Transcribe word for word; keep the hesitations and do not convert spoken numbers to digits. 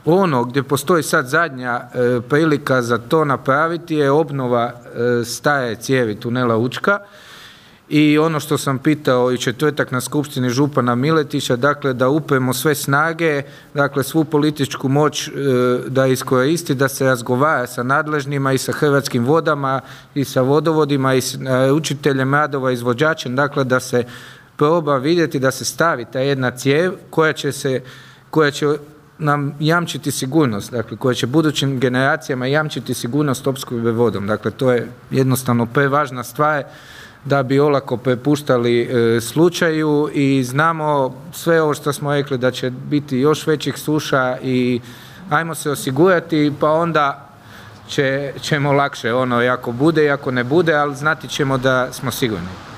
ono gdje postoji sad zadnja e, prilika za to napraviti je obnova e, stare cijevi tunela Učka. I ono što sam pitao i četvrtak na skupštini župana Miletića, dakle da upremo sve snage, dakle svu političku moć e, da iskoristi, da se razgovara sa nadležnima i sa Hrvatskim vodama i sa vodovodima i s učiteljem radova, izvođačem, dakle da se proba vidjeti da se stavi ta jedna cijev koja će se, koja će nam jamčiti sigurnost, dakle koja će budućim generacijama jamčiti sigurnost opskrbe vodom. Dakle to je jednostavno prevažna stvar da bi olako prepuštali e, slučaju i znamo sve ovo što smo rekli da će biti još većih suša i ajmo se osigurati pa onda će, ćemo lakše ono i ako bude i ako ne bude, ali znati ćemo da smo sigurni.